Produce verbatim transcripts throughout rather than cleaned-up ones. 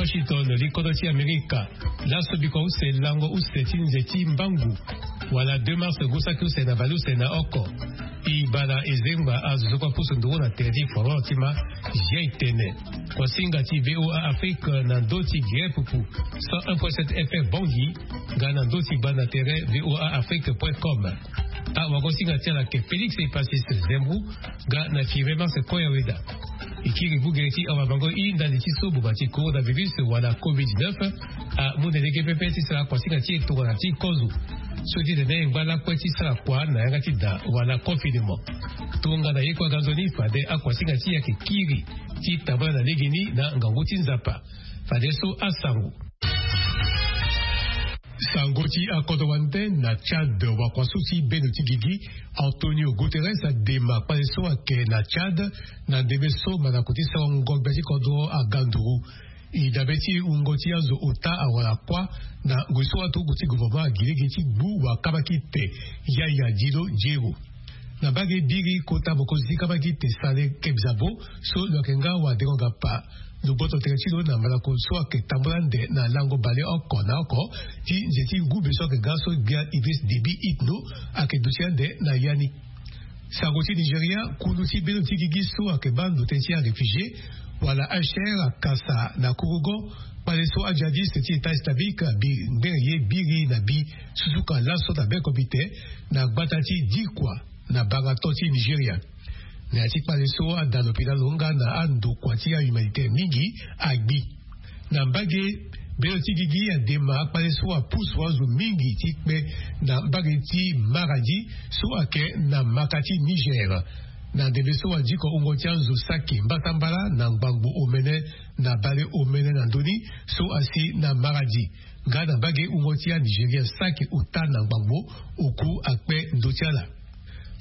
Washington, li kodro ti Amerika. Laso bikua use lango use ti nze ti mbangu wala deux mars ngu saki use na vali use na oko. Ibala ezengba azo so kua pusu nduru na tere ti forum ti ma. Jei tene. Kuasinga ti VOA Afrique na ndö ti gere pupu cent un point sept F M Bangui, nga na ndö ti banda tere VOA Afrique point com. Awagosinga ti ala ke Félix Epasis Zembou, nga na Firmin Marse Koya Weda. E kiri bugere ti awabango i ndali ti so buba ti coronavirus wala covid dix-neuf amu na lege pepe ti sara kuasinga ti e tongana ti kozo. So ti tene e ngba lakue ti sara kua na yanga ti da wala confinement. Tongana ye kue aga nzoni fade akuasinga ti e ayeke kiri ti tambula na legeni na ngangu ti Nzapa. Fadeso asango. Sango ti akodro wande na Tchad, wakua so ti bendo ti gigi Antonio Guterres adema kpale so ayeke na Tchad na ndembe so mandako ti sarango gbia ti kodro aga nduru. E dabe ti wungo ti azo ota awara kuâ na ngoi so aturuku ti gouvernement agi lege ti gbu wakabakite Yaya Dilo Diego. Na mbage biri kota mokonzi ti kabakite Saleh Kebzabo so lo yeke nga wadengo-gapa. Lo gboto tere ti lo na mandako so ayeke tambula ande na lango bale oko na oko ti nze ti ngumbe so ayeke ga so gbia Idriss Déby Itno ayeke duti ande na ya ni. Sango ti Nigeria, kulu ti bendo ti gigi so ayeke baa ndo tënë ti aréfugié wala H C R akasa na kurugo kpale so ajihadiste ti État islamique abi ngbere ye biri na bi susuka laso na be comité na gbata ti Dikwa na bangato ti Nigeria. Na ya ti kpale so ada lopitalo nga na andokua ti ahumanitaire mingi agbi. Na mbage, bendo ti gigi adema akpale so apusu azo mingi ti kpe na mbage ti Maradi so ayeke na maka ti Niger. Na ndembe so adiko wungo ti azo saki mbatambala na ngbangbo omene na bale omene na ndoni so asi na Maradi. Nga na mbage wungo ti aNigeria saki ota na ngbangbo oku akpe ndö ti ala.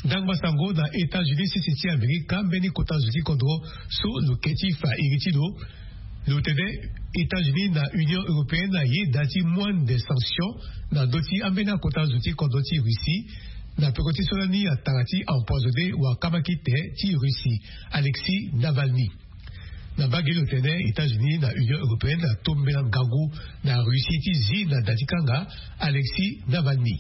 Ndangba sango na États-Unis sese ti Amerika, mbeni kota zo ti kodro so lo ke ti fa iri ti lo. Lo tene États-Unis na Union européenne ayeda ti mu ande sanction na ndö ti ambeni akota zo ti kodro ti Russie na peko ti so lani atara ti empoisonné wakabakite ti Russie, Alexis Navalny. Na mbage lo tene États-Unis na Union européenne atombela ngangu na Russie ti zi na da ti kanga Alexis Navalny.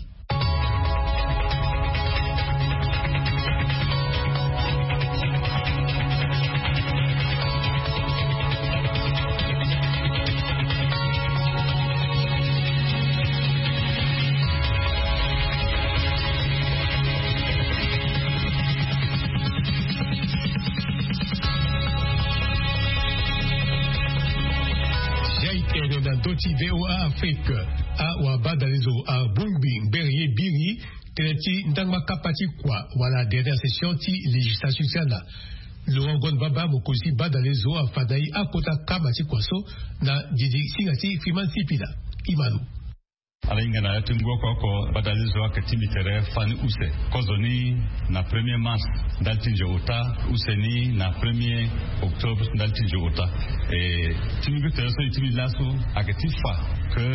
Jai tene na ndö ti VOA Afrique. Awabadalezo abongbi ngbere ye biri tënë ti ndangba kapa ti kua wala dernière session ti législature ti ala. Laurent Gonbaba, mokonzi ti badalezo, afa na e akota kama ti kua so na didi singa ti Freeman Sipila. Imano. Ala hinga na ya ti ngu oko oko, badalezo ayeke tingbi tere fani use. Kozo ni na premier mars ndali ti nze ota, use ni na premier octobre ndali ti nze ota. E, tingbi tere so e tingbi laso ayeke ti fa ke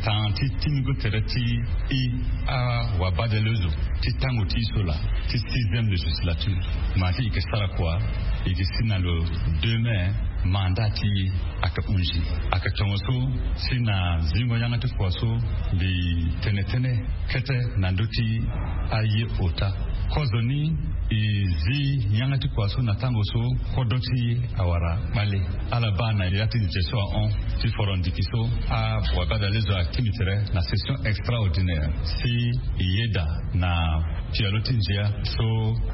tan ti tingbi tere ti e awabadalezo ti tango ti e so laa, ti sixième législature. Ma ti e ke sara kua, e ke si na lo deux mai mandat ti e ayeke hunzi. Ayeke tongo so si na zingo yanga ti kua so mbi tene tënë kete na ndö ti aye ota. Kozo ni e zi yanga ti kua so na tango so kodro ti e awara kpale. Ala baa na ya ti nze so ahon ti foro ndiki so awabadalezo atingbi tere na session extraordinaire si e yeda na pialo ti nzia so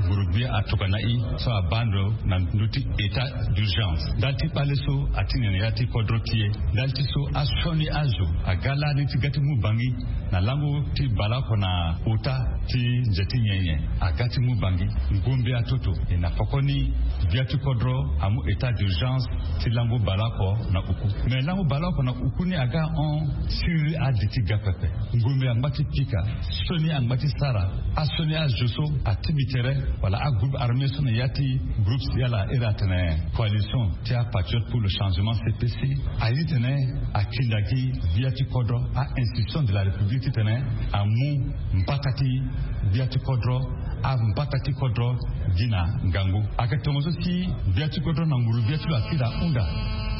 nguru-gbia atokua na e so abaa ndo na ndö ti état d'urgence. Ndali ti kpale so atingbi na ya ti kodro ti e. Ndali ti so asioni azo aga lani ti ga ti mu bangi na lango ti baleoko na ota ti nze ti nyenye aga ti mu bangi. Ngombe atoto e na pokoni gbia ti kodro amu état d'urgence ti lango baleoko na uku. Me lango baleoko na uku ni aga hon siriri adi ti ga pepe. Ngombe angba ti pika, sioni angba ti sara, asioni azo so atingbi tere wala agroupe armé so na ya ti groupe ti ala iri atene coalition ti apatriote pour le changement, C P C, aye titene akinda gi gbia ti kodro, a institution de la République titene amu mbata ti gbia ti kodro, ambata ti kodro gi na ngangu. Ayeke tongo so si gbia ti kodro na nguru-gbia ti lo akiri ahunda.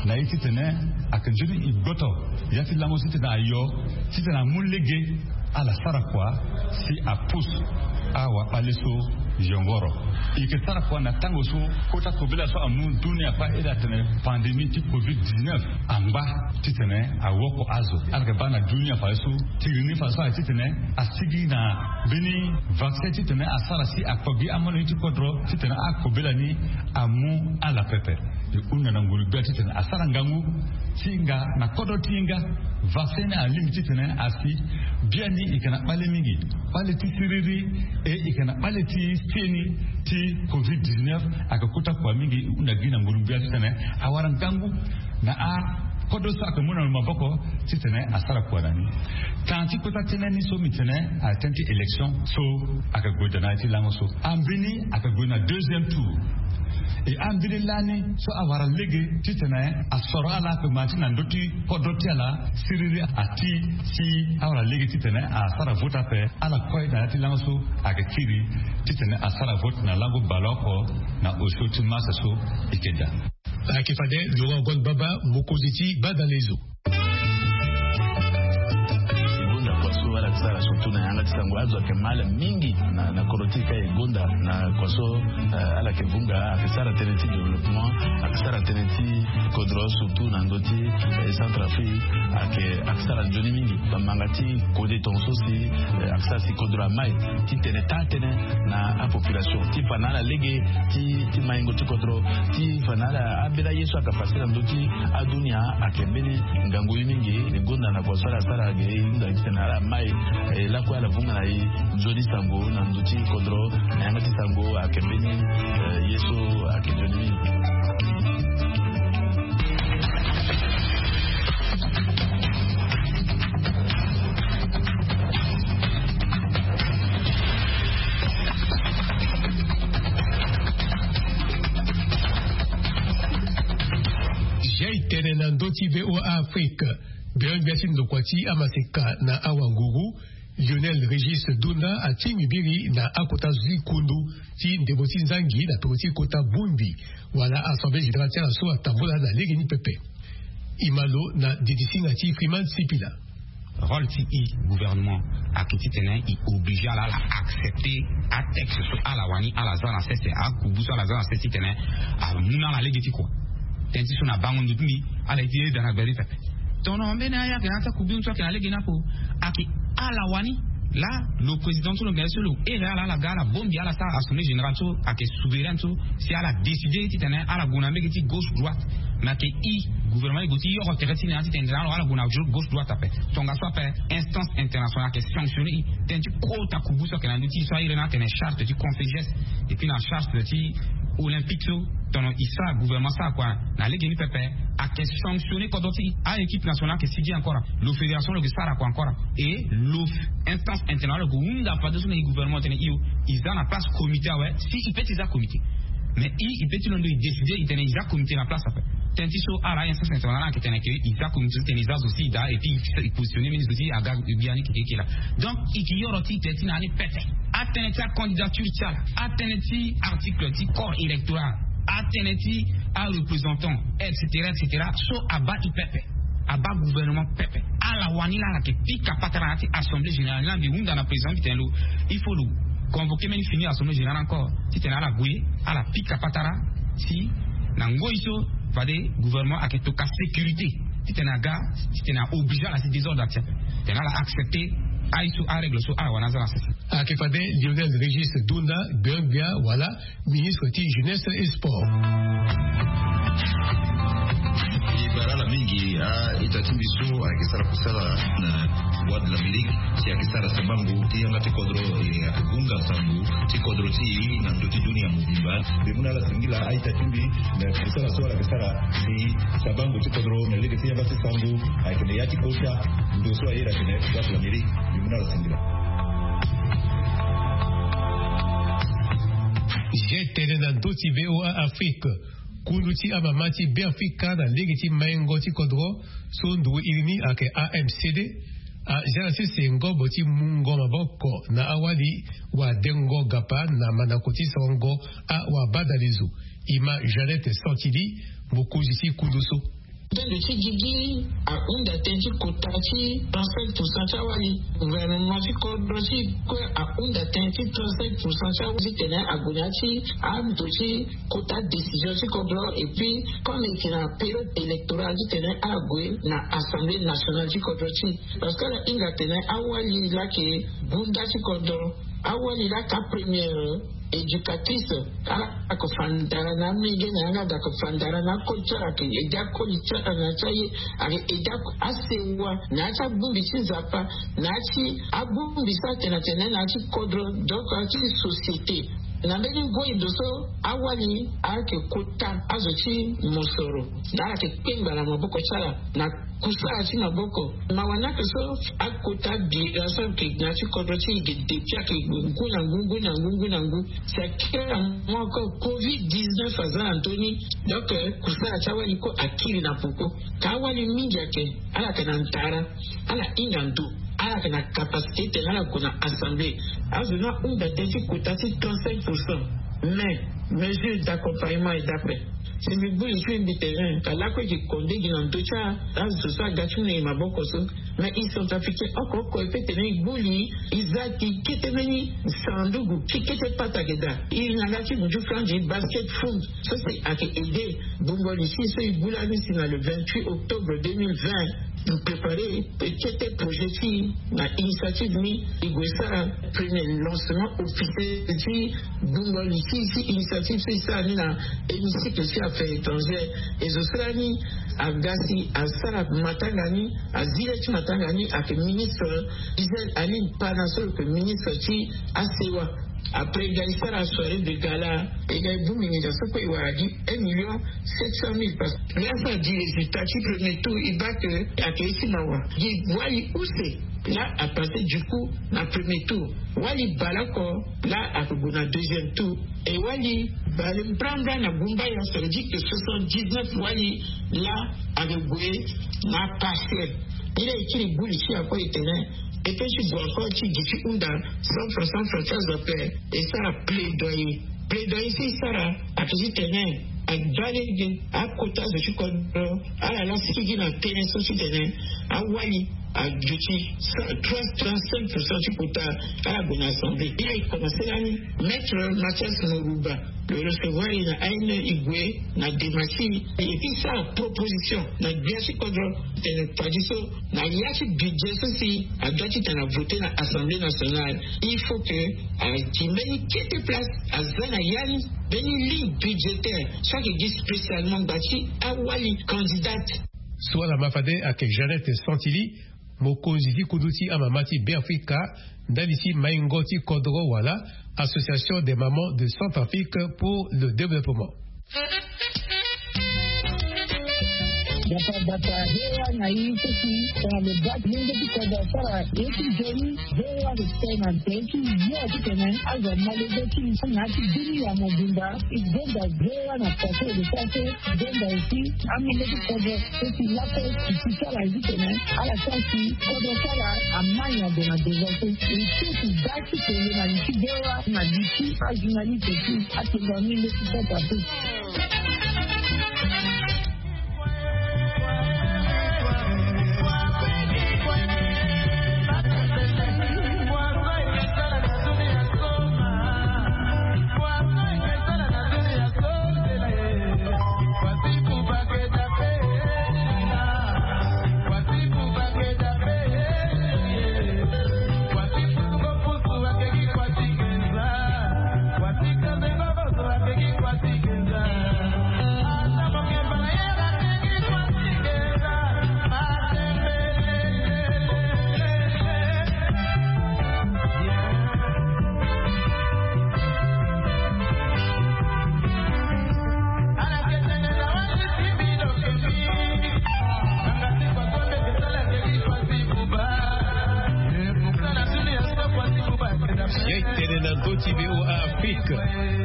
Na ye titene ayeke nzoni e gboto ya ti lango so titene ayo titene amu lege ala sara kua si apus awa bale so yongoro. E yeke sara kua na tango so kota kobela so amu dunia kue iri atene pandémie ti covid dix-neuf angba titene awoko azo. Ala yeke baa na dunia fadeso tiri ni fadeso aye titene asigi na mbeni vaccin titene asara si akpo gi amono ye ti kodro titene akobela ni amu ala pepe. E hunda na nguru-gbia titene asara ngangu ti hinga na kodro ti hinga. Vaccin ni alingbi titene asi biani e yeke na bale mingi, bale ti siriri, e e yeke na bale ti seni ti covid dix-neuf. Ayeke kota kua mingi. E hunda gi na nguru-gbia titene awara ngangu na akodro so ayeke mu na lo maboko titene asara kua na ni. Tan ti kota tënë ni so mbi tene atene ti élection so ayeke gue daa na ya ti lango so. Ambeni ayeke gue na deuxième tour. E ambeni lani so awara lege titene asoro ala ape ma ti na ndö ti kodro ti ala siriri ati si awara lege titene asara vote ape. Ala kue na ya ti lango so ayeke kiri titene asara vote na lango baleoko na osio ti masa so e yeke daa. Ayeke fade Laurent Gon Baba, mokonzi ti badalezo. Gonda kua so ala yeke sara surtout na yanga ti sango azo ayeke mal mingi na, na kodro ti e ka e gonda na kua so, eh, ala yeke vunga ayeke sara tënë ti développement, ayeke sara tënë ti kodro surtout na ndö ti, eh, Centrafrique ayeke, ayeke sara nzoni mingi. Bamanga ti kode tongaso si, eh, ayeke sara si kodro amai titene taa tënë na apopulation ti fa na ala lege ti, ti maingo ti kodro ti fa na ala ambeni aye so ayeke pase na ndö ti adunia ayeke mbeni ngangu ye mingi. E gonda na kua so ala sara ge e hunda titene ala mai, eh, lakue ala vunga na e nzoni sango na ndö ti kodro na yanga ti sango ayeke mbeni, eh, ye so ayeke nzoni mingi. Jai tene na ndö ti V O A Afrique. Gbeon gbia ti ndokua ti amaseka na awanguru, Lionel Régis Dunda atingbi biri na akota zo ti kundu ti ndembo ti nzangi na toro ti kota bongbi wala Assemblée générale ti ala so atambula na lege ni pepe. E ma lo na ndidi singa ti Freeman Sipila. Rôle ti e gouvernement ayeke titene e oblige ala, ala accepter atexte so ala wani ala za na sese, akubu so ala za na sese titene amu na ala lege ti kua. Tënë ti so na bango ndo ti mbi, ala ye ti yeda na gbele ti pepe. Tono mbeni aya ayeke na ya ti akubu so ayeke na lege ni ape. Ayeke ala wani. Là, lo président so lo gere so lo here ala, ala ga ala bongbi ala sara assemblée générale so ayeke souveraine so, si ala décider titene ala gue na mbege ti gauche droite. Mais ayeke e gouvernement e gue ti yoro tere ti ni na ya titene ala gue na gauche droite ape. Tongaso ape instance internationale ayeke sanctionner e. Tënë ti kota kubu so ayeke na ndö ti e so ahiri ni atene charte ti Conseil G S, et puis na charte ti Olympique so, tono e sara gouvernement sara kua na lege ni pepe. Ayeke sanctionner kodro ti e. A-équipe nationale ayeke sigi encore. Lo fédération lo yeke sara kua encore. Et lo instance internationale lo yeke hunda fadeso na e gouvernement titene e o, e za na place comité awe. Si e peut ti za comité, mais e, e peut ti londo e décider e tene e za comité na place ape. Tënë ti so ala instance internationale ayeke tene ke e za comité so titene e za zo si e daa, et puis e positionner mbeni zo ti e aga gbia ni keke keke laa. Donc e yeke yoro ti e tene ti na ni pepe. Atënë ti acandidature ti ala, atënë ti article ti corps électoral, atënë ti areprésentant, et cetera, et cetera, so abaa e pepe, abaa gouvernement pepe. Ala wani laa ala yeke pika patara na ya ti assemblée générale. Ni laa mbi hunda na président mbi tene lo, il faut lo convoquer mbeni fini assemblée générale encore titene ala gue, ala pika patara si na ngoi so fade gouvernement ayeke toka sécurité titene aga, titene a oblige ala si désordre atia, titene ala accepter aye so arègle so ala wani aza na sese. Ayeke fade Lionel Régis Dunda, gbia-gbia wala ministre ti jeunesse et sport. E bara ala mingi a-ita ti mbi so ayeke sara kusala na Voix de l'Amérique, si ayeke sara sabango ti yanga ti kodro, e ayeke hunga sango ti kodro ti e na ndö ti dunia mobimba. Mbi mu na ala singila a-ita ti mbi na kusala so ala yeke sara si sabango ti kodro na lege ti yanga ti sango ayeke na ya ti kota ndo so aye ayeke na ya ti Voix de l'Amérique. Mbi mu na ala singila. Zia tene na ndö ti V O A Afrique. Kundu ti amama ti Beafrika na lege ti maingo ti kodro so ndugu iri ni ayeke A M C D aza na sese ngobo ti mungo maboko na awali wadengo gapa na mandako ti sarango awabadalezo. E ma Jeannette Santili, mokonzi ti kundu so. Tënë ti gigi ahunda tënë ti kota ti trente-cinq pourcent ti awali. Gouvernement ti kodro ti kue ahunda tënë ti trente-cinq pourcent ti awali titene ague na ya ti ando ti kota décision ti kodro. Et puis comme eke na période électorale titene ague na assemblée nationale ti kodro ti parce que ala hinga tene awali lake bunda ti kodro. Awali lake apremière éducatrice. Ala ako fandara na amenge na yanga dako fandara na akoli ti ala ke ede akoli ti ala na ya ti aye. Ake ede asewa na ya ti abongbi ti nzapa na ya ti abongbi so atene atene na ya ti kodro. Donc na ya ti société na mbeni ngoi ndo so awali ake kota azo ti mosoro na ala ke kpengba na maboko ti ala na kusala ti maboko. Mawa ni ake so akota bira so ake na ya ti kodro ti e ge depuis ake ngu na ngu ngu na ngu ngu na ngu. Si akiri na mo encore covid dix-neuf aza na ndö ni. Donc kusala ti awali kue akiri na poko. Ka awali mingi ake ala yeke na ndara. Ala hinga ndo ala yeke na capacité tene ala gue na assemblée. Azo ni ahunda tënë ti kota ti trente-cinq pourcent. Mais mesure d'accompagnement et d'après si mbi buli ti mbi tene ka lakue gi konde gi na ndö ti azo so aga ti mu na e maboko so. Mais e centrafricain oko oko e pe tene e buli e za ti kete mbeni sanduku ti kete pata ge daa. E na nga ti nju franzi basket fund so si ake ede bongo li si so e bula ni si na le vingt-huit octobre deux mille vingt. Prépare kete projet ti na initiative ni e gue sara premier lancement officiel ti bongo li ti si initiative so e sara ni na hémicycle ti affaires étrangères. E zo so lani aga si asara matanga ni azi le ti matanga ni ake ministre Israël Alim Pana so lo ke ministre ti asewa. Après e ga e sara soirée de gala e ga e bongbi nginza so kue e wara gi un million sept cent mille parce que la sa di résultat ti premier tour e bake ake ye ti mawa gi wali use. La apasse du coup na premier tour. Wali bale oko la ake gue na deuxième tour. E wali bale mbrambra na gumbaya ça veut dire que soixante-dix-neuf wali la ake gue na partiel. Ni la e kiri buli ti ako e tene e pe ti gue encore ti gi ti hunda cent francs cent francs ti azo ape. E sara plaidoyer plaidoyer so e sara ake ti tene abaa lege akota azo ti kodro ala la sigi na tënë so ti tene awali aduti trente-cinq pourcent ti kota. Ala gue na assemblée ni la e commencé lani maître Mathias Moruba lo recevoir e na aine e gue na dema ti e e ti sara proposition na gbia ti kodro tene padi so na ya ti budget so si adua ti tene avote na assemblée nationale il faut que ati mbeni kete place aza na ya ni mbeni ligne budgétaire so ake gi spécialement ngba ti awali candidate. So ala ma fade ayeke Jeannette Santili, mokonzi ti kundu ti amama ti Beafrika ndali ti maingo ti kodro wala Association des mamans de Centrafrique pour le développement. Bata bata hewa na ye ti si tongana lo baa ti lenge ti kodro asara ye ti nzoni. Hewa lo tene na nze ti yo ti tene azo amolenge ti na ya ti bini ya mobimba. E gonda hewa na pase lo sara so gonda aussi amolenge ti kodro so si lakue si ti sara ye ti tene ala sara si kodro sara amai na gue na devant so e so si baa ti tene na li ti hewa na li ti ajournaliste ti atene amolenge ti kodro ape. Ya e tene na ndö ti V O A Afrique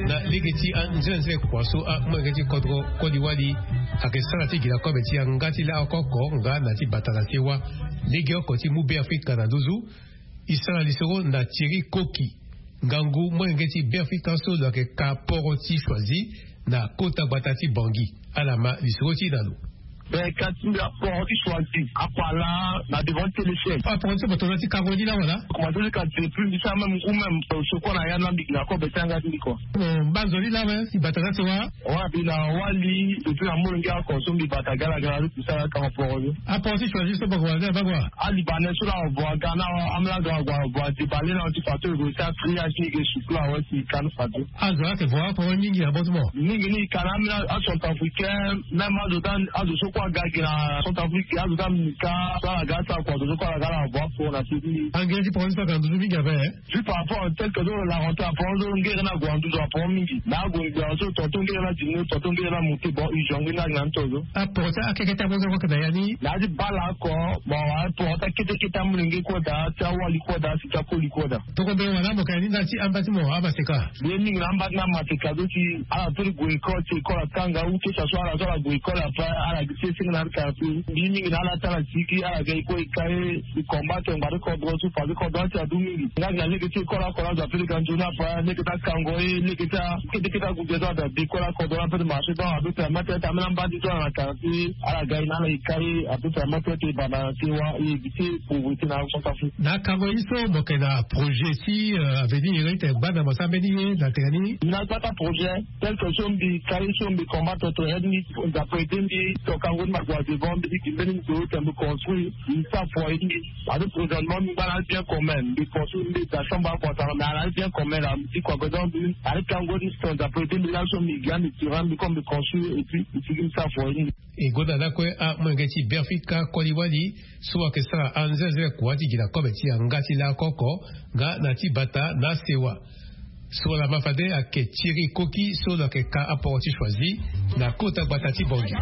na lege ti anzenze kua so amolenge ti kodro koli wali ayeke sara ti gi na kobe ti yanga ti laoko oko nga na ti bata na sewa. Lege oko ti mu Beafrika na nduzu. E sara lisoro na Thierry Koki, ngangu molenge ti Beafrika so lo yeke ka poro ti Choisy na kota gbata ti Bangui. Ala ma lisoro ti e na lo. Ben ka ti mbi aporo ti choisi akua laa na devant ti téléphone. Aporo ti moto na ti kango ni laa wala? Komanse ti ka depuis mbi sara même ngu même sokua na ya na mbi gi na kobe ti anga ti mbi kua. Bon, mbanzo ni laa me i bata na sewa? Wa mbi na wali depuis na molenge oko so mbi bata galagala ti kusala kango poro ni. Aporo ti choisi so bako wala ni abako wa? Alibanais so laa avo aga na amela aga avo adebale na ti fato ego ti akria ti ege sukula awe si i ka ni fato. Azo ayeke vo aporo mingi na bâtiment. Mingi ni i ka na amela acentrafricain même azo ta azo so kue aga gi na centrafrique azo ta mini ka so ala ga ti akua azo so kue ala ga ala vo aporo na seki. Angere ti poro ni so ayeke na nduzu mingi ape. Juste par rapport tel que so la rentrée aporo so ngere ni ague na nduzu aporo mingi na ague ngbia so tonton ngere ni adimi tonton ngere ni amonte bon urgent ngbeni agi na ni to so. Aporo ti akekete apo so kue ayeke na ya ni. Na ya ti bala oko. Bon aporo ti akete kete amolenge kue daa ti awali kue daa si ti akoli kue daa. Toko mbeni wala mo ka ya ni nda ti amba ti mo amaseka. Mbi ye mingi na amba ti na amaseka so si ala peut ti gue école si école atanga ou que ça soit ala so ala gue école après ala gi ti esenge na ala quartier mbi ye mingi na ala ti ala sigi ala ga e kue e ka e. E combattre ngbari kodro so fadekodro ati adu mingi nga gi na lege ti école oko na azo ape lege anzoni ape lege ti akango e lege ti akete kete agude so ada de école akodro na ape ti marché donc ape permettre ete ameni amba ti so ala na quartier ala ga e na ala e ka e ape permettre ete e banda na sewa e éviter pauvreté na centrafrique. Na akango ye so mo yeke na projet ti avenir ete gbanda mo sara mbeni ye na tene ni? Mbi na gbata projet tel que so mbi ka ye so mbi combattre to aide ni. Nzapa ede mbi tokango ni ma gue na devant mbi ti gi mbeni ndo ete mbi construire mbi sara foyer ti mbi. Parce que présentement mbi ngba na ali bien commun mbi construire mbi da chambre akua tara mais ala ali bien commun la mbi ti kua godon mbi. Ari kango ni so nzapa ede mbi lani so mbi gi ande tirant mbi comme mbi construire et puis mbi ti gi mbi sara foyer ti mbi. E gonda lakue amolenge ti Beafrika koli wali so ayeke sara anzenze kua ti gi na kobe ti yanga ti laoko oko nga na ti bata na asewa. So ala ma fade ayeke tiri koki so lo yeke ka aporo ti choisi na kota gbata ti bongi.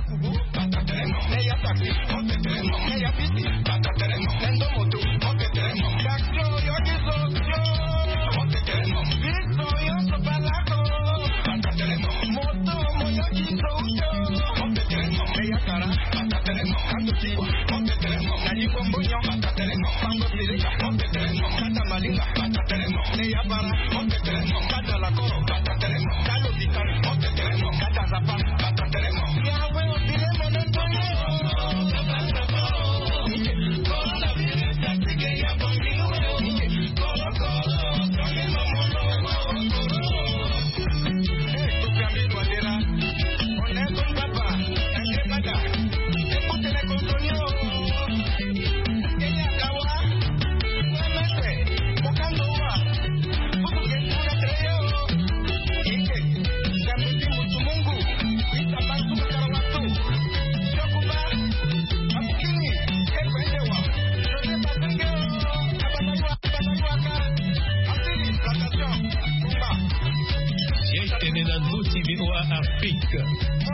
Ye tene na ndö ti V O A Afrique.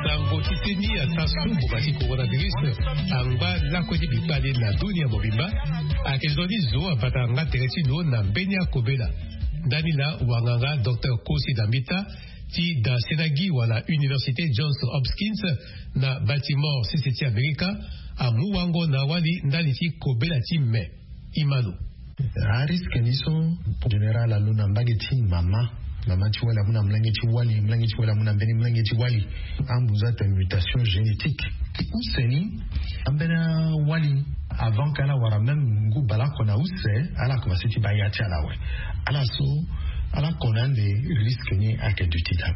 Sango ti seni ata so mboma ti coronavirus angba lakue ti bikpale na dunia mobimba. Ayeke zo ni zo abata yanga tere ti lo na mbeni akobela. Ndani laa wanganga docteur Kosi Dambita ti da senagi wala université Johns Hopkins na Baltimore sese ti Amerika amu wango na awali ndali ti kobela ti me. Imano. Ariske ni so général alo na mbage ti mama. Mama ti wali amu na mlenge ti wali mlenge ti wali amu na mbeni mlenge ti wali. Ambunza ate mutation génétique. Use ni ambeni awali avant ke ala wara même ngu baleoko na use ala commence ti baa ya ti ala awe. Ala so ala kona ande risque ni ayeke duti daa.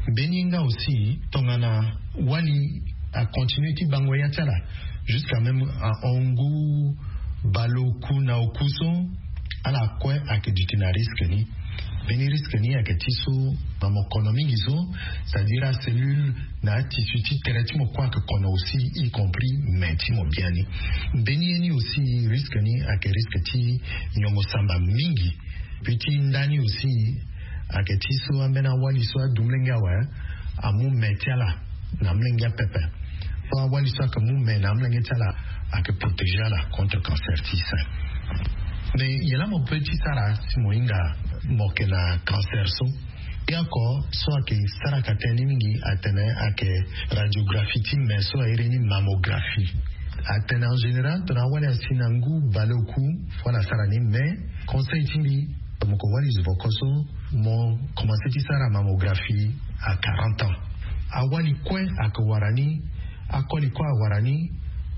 Mbeni ye nga aussi tongana wali acontinue ti bango ya ti ala jusqu'à même ahon ngu baleoku na oku so ala kue ayeke duti na risque ni. Mbeni risque ni ayeke ti so na mo kono mingi so c'est-à-dire acellule na atissu ti tere ti mo kue ayeke kono aussi y compris me ti mo biani. Mbeni ye ni aussi risque ni ayeke risque ti nyongo samba mingi. Puis ti nda ni aussi ayeke ti so ambeni awali so adu mlenge awe amu me ti ala na mlenge apepe. So awali so ayeke mu me na amlenge ti ala ayeke protéger ala contre cancer ti sein. Mais ye laa mo peut ti sara si mo hinga mo yeke na cancer so. Ye oko so ayeke saraka tënë ni mingi atene ayeke radiographie ti me so airi ni mammographie. Atene en général tongana awali asi na ngu baleoku fo ala sara ni mais conseil ti mbi mo ko wali zo voko so mo commence ti sara mammographie à quarante ans. Awali kue ayeke wara ni Akoli kue awara ni.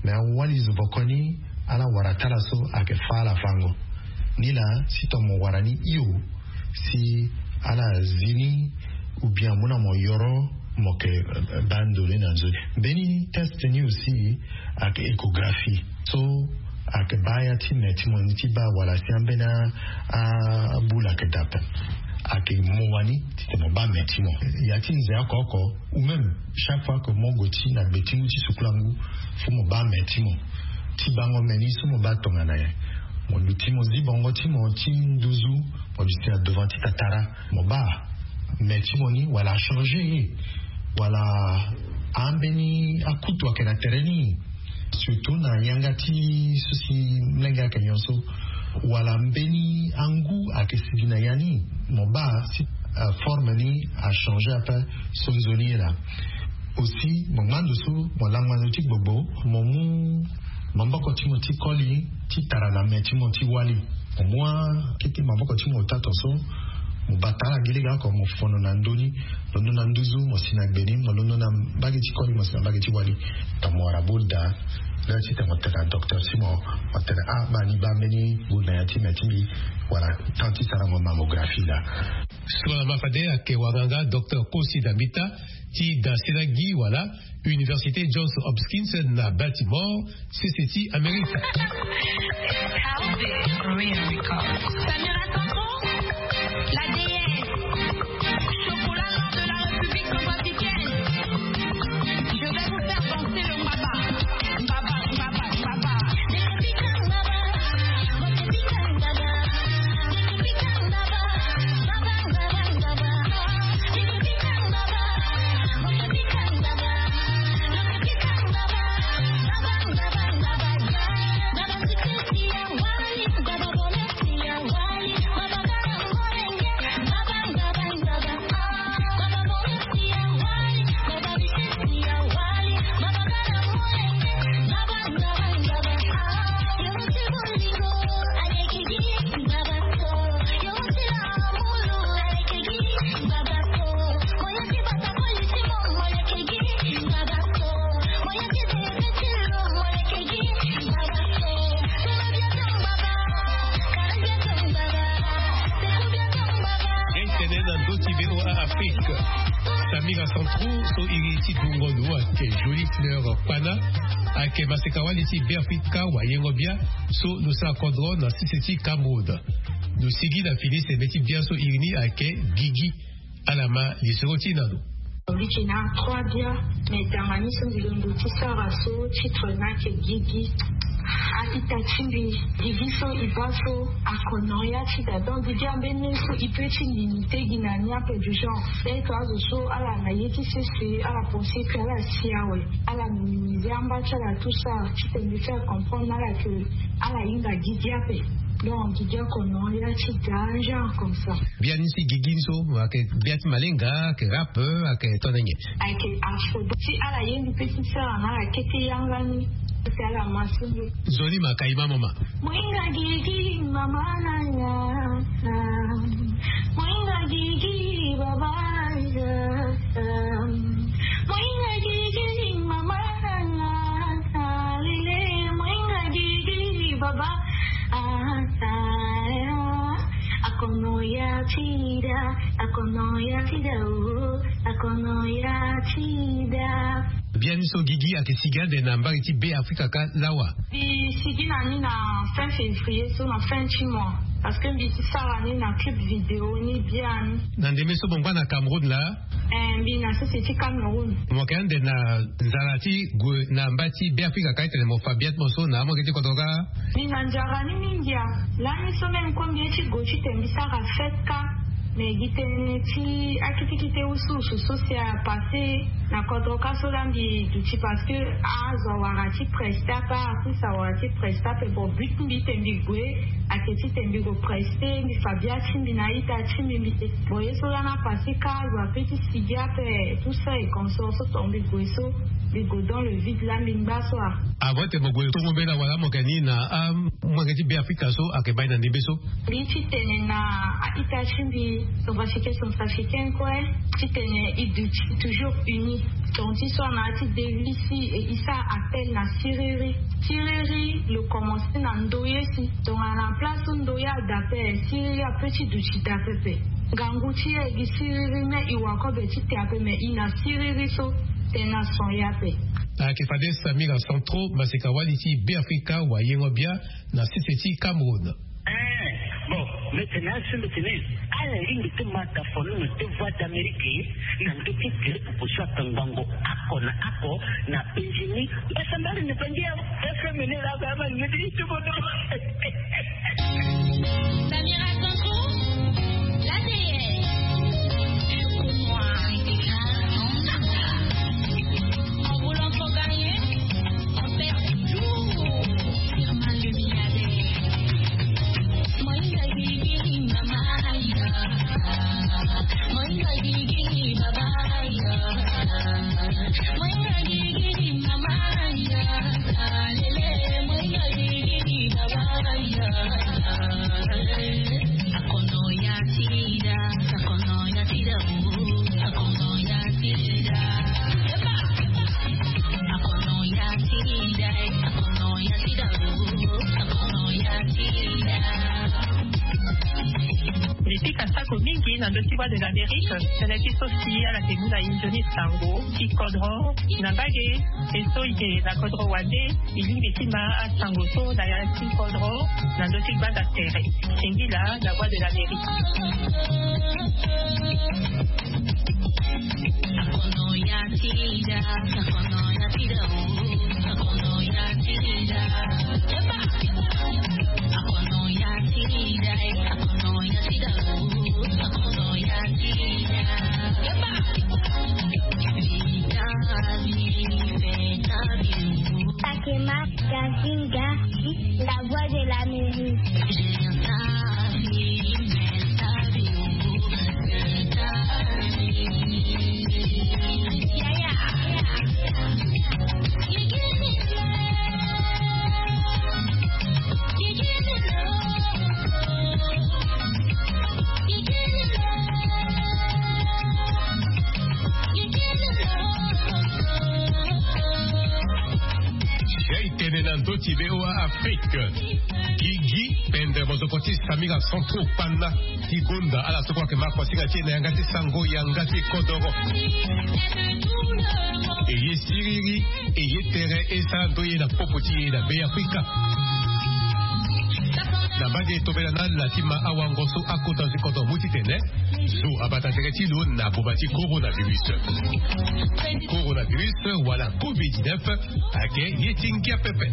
Me awali zo boko ni ala wara tala so ayeke fa ala fango. Nilaa si tongana mo wara ni hio, si ala zi ni, ou bien amu na mo yoro, mo yeke baa ndo ni na nzoni. Mbeni test ni aussi ayeke échographie so ayeke baa ya ti me ti mo ni ti baa wala si ambeni abula ayeke daa ape. Ayeke mo wani titene mo baa me ti mo ya ti nze oko oko. Ou même chaque fois que mo gue ti na gbe ti ngu ti sukula ngu, fo mo baa me ti mo ti bango me ni so mo baa tongana nyen? Mo luti mo zi bongo ti mo ti nduzu, mo luti na devant ti tatara, mo baa me ti mo ni wala achanger ye, wala ambeni akutu ayeke na tere ni. Surtout na yanga ti so si mlenge ayeke nyonso, wala mbeni angu ayeke sigi na ya ni, mo baa si forme ni achanger ape. So nzoni ye laa. Aussi mo ngba ndo so mo langba ndo ti gbogbo, mo mu maboko ti mo ti koli ti tara na me ti mo ti wali. Mo mu akete maboko ti mo ota tonso, mo bata ala gi lege oko, mo fono na ndö ni, londo na nduzu mo si na gbe ni, mo londo na mbage ti koli mo si na mbage ti wali. Tongana mo wara bol daa, laa titene mo tene na docteur ti mo, mo tene ah baa ni baa mbeni bol na ya ti me ti mbi, wala temps ti sarango mammographie laa. So na ma fade ayeke wanganga docteur Kosi Dambita ti Daselagi wala Université Johns Hopkins na Baltimore, sese ti Amerika. Samira Santro, la déesse, chocolat noir de la République centrafricaine. Je vais vous faire danser le mbaba. Mbaba, mbaba, mbaba. Tene na ndö ti V O A Afrique. Samira Santro so iri ti dungo lo ayeke Jolie Fleur Kpana, ayeke maseka wali ti Beafrika wayengo bia so lo sara kodro na sese ti Cameroun. Lo sigi na fini sembe ti bia so iri ni ayeke Gigi. Ala ma lisoro ti na lo. Mbi yeke na trois bia, me tanga ni so mbi londo ti sara so titre ni ayeke Gigi. A-ita ti mbi, Gigi so e baa so akono ya ti da. Donc Gigi ambeni so e peut ti limite gi na ni ape du genre. Peut-être azo so ala na ye ti sese, ala pense que ala si awe, ala minimiser amba ti ala tout ça, titene mbi faire comprendre na ala que ala hinga Gigi ape. Donc Gigi akono ya ti da, genre comme ça. Biani si Gigi ni so ayeke bia ti malenga, ayeke rap, ayeke tongana nyen? Ayeke afro. Si ala ye mbi pe ti sara na ala kete yanga ni, si ala ma so nde. Nzoni ma ka e ma mama. Moinga Gigi mama na nga. Moinga Gigi baba na nga. Moinga Gigi mama na nga. Lele, moinga Gigi baba. Ah, ah, ah. Akono ya ti da, akono ya ti da, oh, akono ya ti da. Biani so Gigi ayeke sigi ande na mbage ti Beafrika kâ lawa? Mbi sigi na ni na fin février so, na fin ti mois, parce que mbi ti sara ni na clip vidéo ni biani. Na ndembe so mo ngba na Cameroun laa? Eh, mbi na sese ti Cameroun. Mo yeke ande na nzara ti gue na mba ti Beafrika kâ, titene mo fa bia ti mo so na amolenge ti kodro kâ? Mbi na nzara ni mingi ah. Lani so même kue mbi ye ti gue titene mbi sara fête kâ. Mais gi tënë ti akete kete usu usu so si apassé na kodro kâ so laa mbi duti, parce que azo awara ti presta kâ, apusu awara ti presta ape. Bon, but ti mbi titene mbi gue Ake ti tene mbi go preste mbi fa bia ti mbi na ita ti mbi mbi te. Bon ye so la na pase ka zo ape ti sigia ape tout ça et consort so tonga mbi gue so mbi go dans le vide la mbi ngba so a. Avant te mo gue tongo mbela wala mo ke ni na amolenge ti be afrika so ake baa ni na ndembe so? Mbi ti tene na a-ita ti mbi, centrafricain centrafricaine kue, ti tene i duti toujours uni. Tonga ti so ana ya ti devisi e i sara appel na siriri. Siriri lo commence na ndoye si tongana na place so ndoye ada ape siriri ape ti duti da pepe. Ngangu ti e gi siriri me i wa kobe ti te ape me i na siriri so tena son ye ape. Ayeke fade samira centraux maseka-wali ti beafrika wayengo-bia na sese ti cameroun. Bon, mbi tene asi mbi tene ala lingbi ti ma tafoni na devoir d'amérique na ndö ti gere pupu so aka ngbongo ako na ako na penjini. Mbasa mbari ni penje awa. Fm ni la ba ma ni ti ti bodo. Samira Sanko, la déesse. Pour moi, c'est grave. En voulant trop gagner, on perd toujours. Firmin le milliardaire. Mbi pika sako mingi na ndö ti Voix de l'Amérique, tënë ti so si ala ke mu na e nzoni sango ti kodro na mbage. E so e ke na kodro wande, e lingbi ti ma asango so na ya ti kodro na ndö ti gbanda tere. Singila na Voix de l'Amérique. Sakema Gazinga, la voix de l'Amérique. Jai tene na ndö ti V O A Afrique. Gigi pendre mozoko ti Samira Centro Pana ti gonda ala so kue ayeke ma kuasinga ti e na yanga ti sango yanga ti kodoro. E ye siriri, e ye tere, e sara ndoye na popo ti e na Be Afrika. Na mbage e tobela na ala ti ma awango so akota ti kodoro mu titene zo abata tere ti lo na boma ti coronavirus. Coronavirus wala covid dix-neuf ayeke ye ti ngia pepe.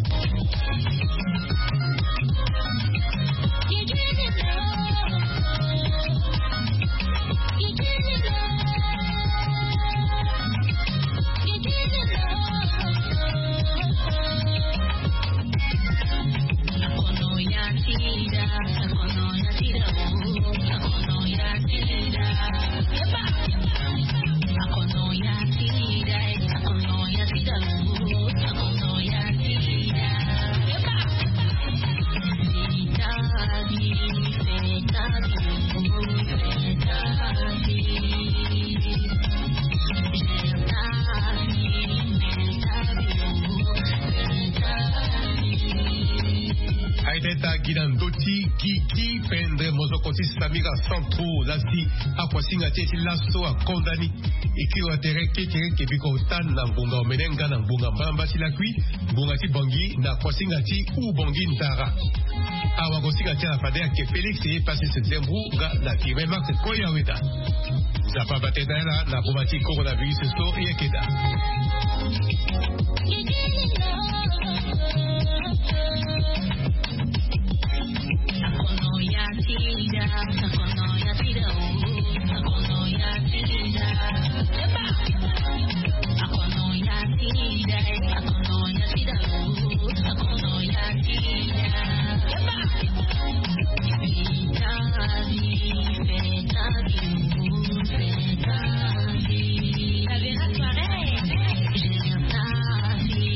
Aideta gi na ndö ti gigi pendre mozoko ti Samira Centro lasi akuasinga ti e ti laso akonda ni. E kiri wa tere kekereke biko tan na ngonga omene nga na ngonga mbalamba ti lakui, ngonga ti bongi na kuasinga ti u bongi ndara. Awa kosinga ti ala fade ayeke Félix ye Pasis Nzembou nga na Firmin Marc Koyaweda. Nzapa bate na ala na boma ti coronavirus so ye keda.